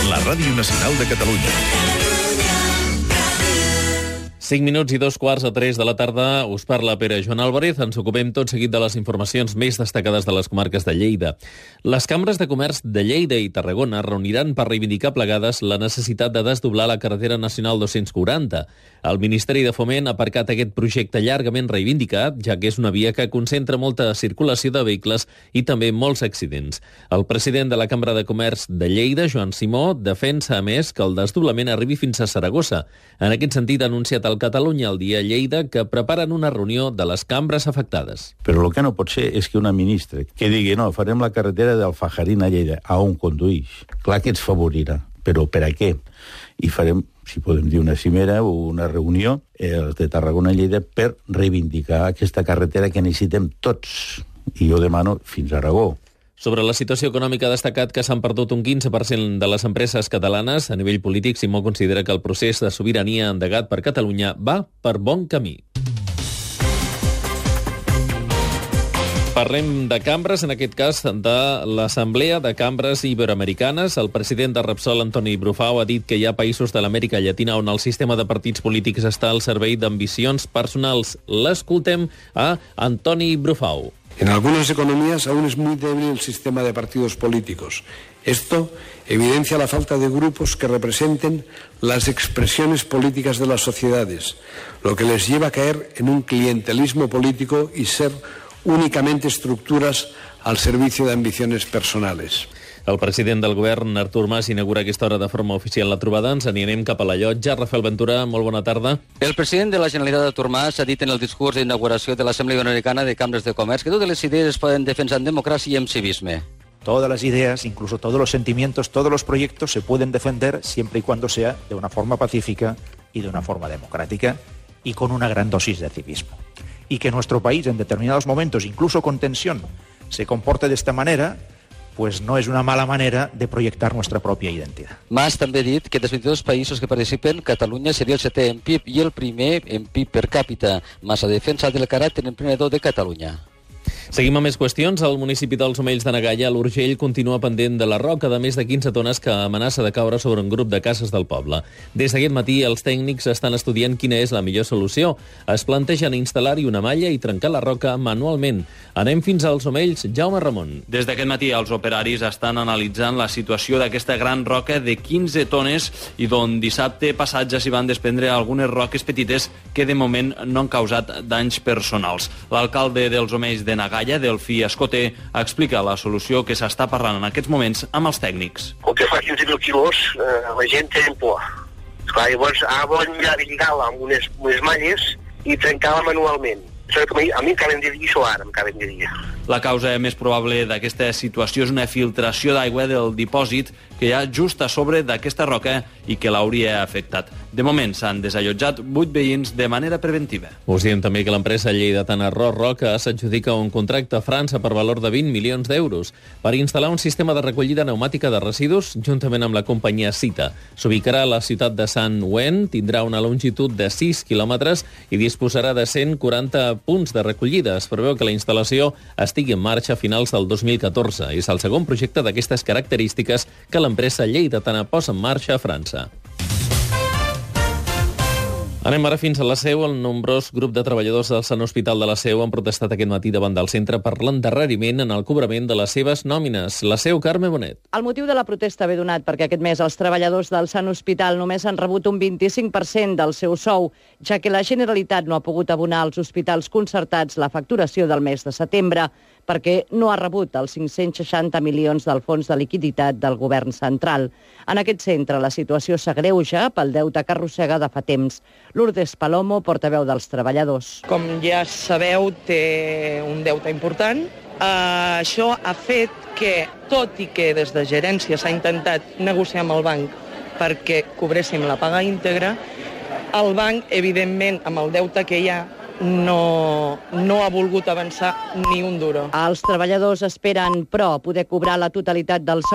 La Ràdio Nacional de Catalunya. 5 minuts i 2:45 de la tarda. Us parla Pere Joan Álvarez. Ens ocupem tot seguit de les informacions més destacades de les comarques de Lleida. Les cambres de comerç de Lleida i Tarragona reuniran per reivindicar plegades la necessitat de desdoblar la carretera nacional 240. El Ministeri de Foment ha aparcat aquest projecte llargament reivindicat, ja que és una via que concentra molta circulació de vehicles i també molts accidents. El president de la Cambra de Comerç de Lleida, Joan Simó, defensa a més que el desdoblament arribi fins a Saragossa. En aquest sentit, ha anunciat el Catalunya al dia Lleida que preparen una reunió de les cambres afectades. Però el que no pot ser és que una ministra que digui no, farem la carretera d'Alfajarín a Lleida, a on conduïx. Clar que ens favorirà, però per a què? I farem, si podem dir, una cimera o una reunió de Tarragona i Lleida per reivindicar aquesta carretera que necessitem tots. I jo demano fins a Aragó. Sobre la situació econòmica ha destacat que s'han perdut un 15% de les empreses catalanes. A nivell polític, Simó considera que el procés de sobirania endegat per Catalunya va per bon camí. Parlem de cambres, en aquest cas de l'Assemblea de Cambres Iberoamericanes. El president de Repsol, Antoni Brufau, ha dit que hi ha països de l'Amèrica Llatina on el sistema de partits polítics està al servei d'ambicions personals. L'escoltem a Antoni Brufau. En algunas economías aún es muy débil el sistema de partidos políticos. Esto evidencia la falta de grupos que representen las expresiones políticas de las sociedades, lo que les lleva a caer en un clientelismo político y ser únicamente estructuras al servicio de ambiciones personales. El president del govern, Artur Mas, inaugura aquesta hora de forma oficial la trobada. Ens anirem cap a la llotja. Rafael Ventura, molt bona tarda. El president de la Generalitat, Artur Mas, ha dit en el discurs d'inauguració de l'Assemblea Iberoamericana de Cambres de Comerç que totes les idees es poden defensar en democràcia i en civisme. Todas las ideas, incluso todos los sentimientos, todos los proyectos se pueden defender siempre y cuando sea de una forma pacífica y de una forma democrática y con una gran dosis de civismo. Y que nuestro país en determinados momentos, incluso con tensión, se comporte de esta manera, pues no és una mala manera de projectar nuestra pròpia identitat. Mas també ha dit que dels 22 països que participen, Catalunya seria el 7è en PIB i el primer en PIB per càpita. Mas ha defensat el caràcter emprenedor de Catalunya. Seguim amb més qüestions. El municipi dels Omells de na Gaia, a l'Urgell, continua pendent de la roca de més de 15 tones que amenaça de caure sobre un grup de cases del poble. Des d'aquest matí, els tècnics estan estudiant quina és la millor solució. Es plantegen instal·lar-hi una malla i trencar la roca manualment. Anem fins als Omells. Jaume Ramon. Des d'aquest matí, els operaris estan analitzant la situació d'aquesta gran roca de 15 tones i d'on dissabte passat ja s'hi van desprendre algunes roques petites que de moment no han causat danys personals. L'alcalde dels Omells de na Gaia, Delfí Escoté, explica la solució que s'està parlant en aquests moments amb els tècnics. Com que fa 15.000 quilos, la gent té por. Esclar, llavors volen lligar-la amb unes malles i trencar-la manualment. A mi m'acaben de dir això ara, m'acaben de dir. La causa més probable d'aquesta situació és una filtració d'aigua del dipòsit que hi ha just a sobre d'aquesta roca i que l'hauria afectat. De moment s'han desallotjat 8 veïns de manera preventiva. Us diem també que l'empresa lleidatana Roca s'adjudica un contracte a França per valor de 20 milions d'euros per instal·lar un sistema de recollida pneumàtica de residus juntament amb la companyia Cita. S'ubicarà a la ciutat de Sant-Ouen, tindrà una longitud de 6 quilòmetres i disposarà de 140 punts de recollida. Es preveu que la instal·lació estigui en marxa a finals del 2014. És el segon projecte d'aquestes característiques que l'empresa lleidatana posa en marxa a França. Anem ara fins a la Seu. El nombrós grup de treballadors del Sant Hospital de la Seu han protestat aquest matí davant del centre per l'endarreriment en el cobrament de les seves nòmines. La Seu, Carme Bonet. El motiu de la protesta ve donat perquè aquest mes els treballadors del Sant Hospital només han rebut un 25% del seu sou, ja que la Generalitat no ha pogut abonar als hospitals concertats la facturació del mes de setembre, perquè no ha rebut els 560 milions del fons de liquiditat del govern central. En aquest centre la situació s'agreuja pel deute que arrossega de fa temps. Lourdes Palomo, portaveu dels treballadors. Com ja sabeu, té un deute important. Això ha fet que, tot i que des de gerència s'ha intentat negociar amb el banc perquè cobréssim la paga íntegra, el banc, evidentment, amb el deute que hi ha, no ha volgut avançar ni un duro. Els treballadors esperen, però, poder cobrar la totalitat del sou